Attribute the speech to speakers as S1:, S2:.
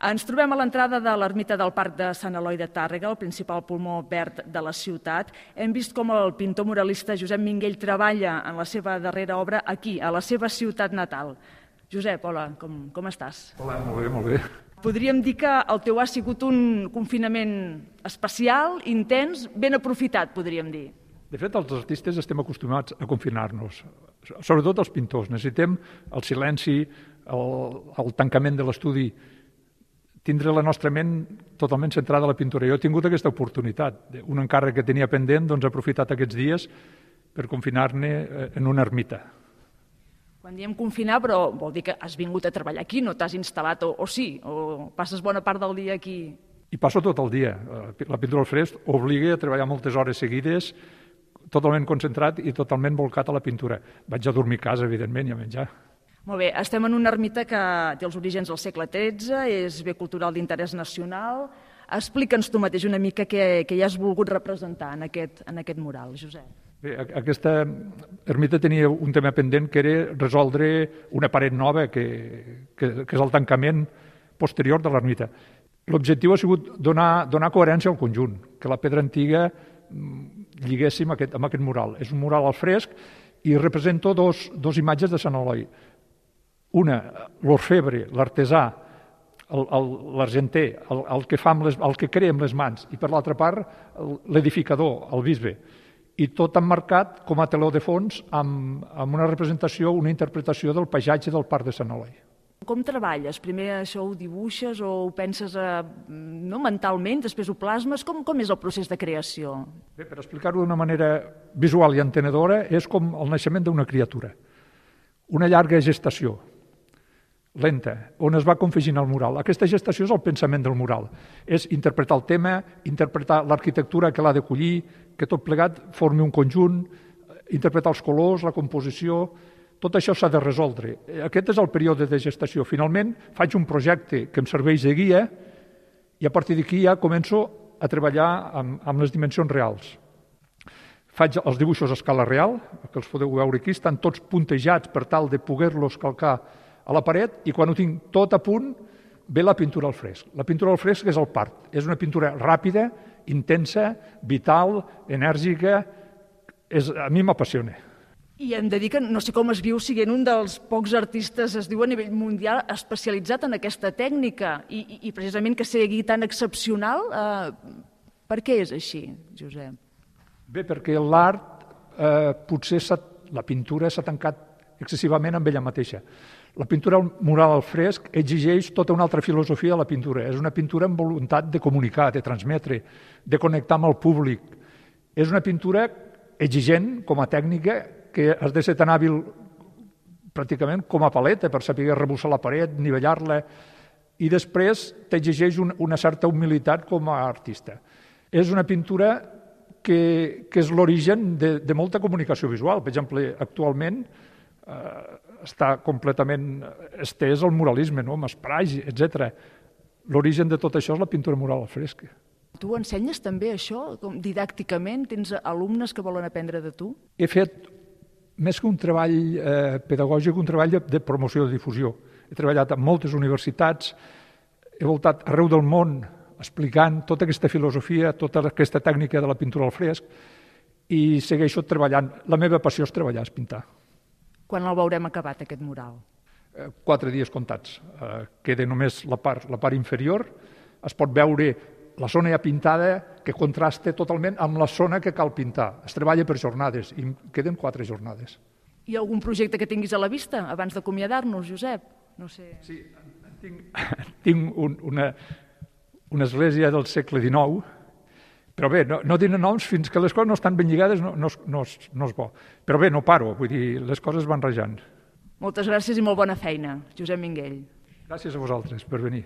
S1: Ens trobem a l'entrada de l'ermita del Parc de Sant Eloi de Tàrrega, el principal pulmó verd de la ciutat. Hem vist com el pintor muralista Josep Minguell treballa en la seva darrera obra aquí, a la seva ciutat natal. Josep, hola, com estàs?
S2: Hola, molt bé, molt bé.
S1: Podríem dir que el teu ha sigut un confinament especial, intens, ben aprofitat, podríem dir.
S2: De fet, els artistes estem acostumats a confinar-nos, sobretot els pintors. Necessitem el silenci, el tancament de l'estudi, tindre la nostra ment totalment centrada a la pintura. Jo he tingut aquesta oportunitat. Un encàrrec que tenia pendent, doncs he aprofitat aquests dies per confinar-ne en una ermita.
S1: Quan diem confinar, però vol dir que has vingut a treballar aquí, no t'has instal·lat, o sí, o passes bona part del dia aquí?
S2: I passo tot el dia. La pintura al fresc obliga a treballar moltes hores seguides, totalment concentrat i totalment volcat a la pintura. Vaig a dormir a casa, evidentment, i a menjar.
S1: Molt bé, estem en una ermita que té els orígens al segle XIII, és bé cultural d'interès nacional. Explica'ns tu mateix una mica què hi has volgut representar en aquest mural, Josep.
S2: Bé, aquesta ermita tenia un tema pendent que era resoldre una paret nova, que és el tancament posterior de l'ermita. L'objectiu ha sigut donar coherència al conjunt, que la pedra antiga lliguéssim amb aquest mural. És un mural al fresc i represento dos imatges de Sant Eloi. Una, l'orfebre, l'artesà, l'argenter, el que crea amb les mans, i per l'altra part l'edificador, el bisbe. I tot emmarcat com a teló de fons amb una representació, una interpretació del paisatge del Parc de Sant Eloi.
S1: Com treballes? Primer això ho dibuixes o ho penses mentalment, després ho plasmes? Com és el procés de creació?
S2: Bé, per explicar-ho d'una manera visual i entenedora, és com el naixement d'una criatura. Una llarga gestació, lenta, on es va confegint el mural. Aquesta gestació és el pensament del mural. És interpretar el tema, interpretar l'arquitectura que l'ha d'acollir, que tot plegat formi un conjunt, interpretar els colors, la composició. Tot això s'ha de resoldre. Aquest és el període de gestació. Finalment, faig un projecte que em serveix de guia i a partir d'aquí ja començo a treballar amb les dimensions reals. Faig els dibuixos a escala real, que els podeu veure aquí, estan tots puntejats per tal de poder-los calcar a la paret, i quan ho tinc tot a punt, ve la pintura al fresc. La pintura al fresc és el part. És una pintura ràpida, intensa, vital, enèrgica. A mi m'apassiona.
S1: I hem de dir que no sé com es viu sent un dels pocs artistes, es diu a nivell mundial, especialitzat en aquesta tècnica i precisament que sigui tan excepcional. Per què és així, Josep?
S2: Bé, perquè l'art, potser la pintura s'ha tancat excessivament amb ella mateixa. La pintura mural al fresc exigeix tota una altra filosofia de la pintura. És una pintura amb voluntat de comunicar, de transmetre, de connectar amb el públic. És una pintura exigent com a tècnica, que has de ser tan hàbil pràcticament com a paleta per saber rebussar la paret, nivellar-la, i després t'exigeix una certa humilitat com a artista. És una pintura que és l'origen de molta comunicació visual. Per exemple, actualment està completament estès el muralisme, amb esprais, etc. L'origen de tot això és la pintura mural al fresc.
S1: Tu ensenyes també això, didàcticament? Tens alumnes que volen aprendre de tu?
S2: He fet, més que un treball pedagògic, un treball de promoció i difusió. He treballat en moltes universitats, he voltat arreu del món explicant tota aquesta filosofia, tota aquesta tècnica de la pintura al fresc, i segueixo treballant. La meva passió és treballar, és pintar.
S1: Quan el veurem acabat, aquest mural?
S2: 4 dies comptats. Queda només la part inferior. Es pot veure la zona ja pintada, que contrasta totalment amb la zona que cal pintar. Es treballa per jornades i queden 4 jornades.
S1: Hi ha algun projecte que tinguis a la vista abans d'acomiadar-nos, Josep? No sé.
S2: Sí, tinc una església del segle XIX, però bé, no diré noms fins que les coses no estan ben lligades, no és bo. Però bé, no paro, vull dir, les coses van rajant.
S1: Moltes gràcies i molt bona feina, Josep Minguell.
S2: Gràcies a vosaltres per venir.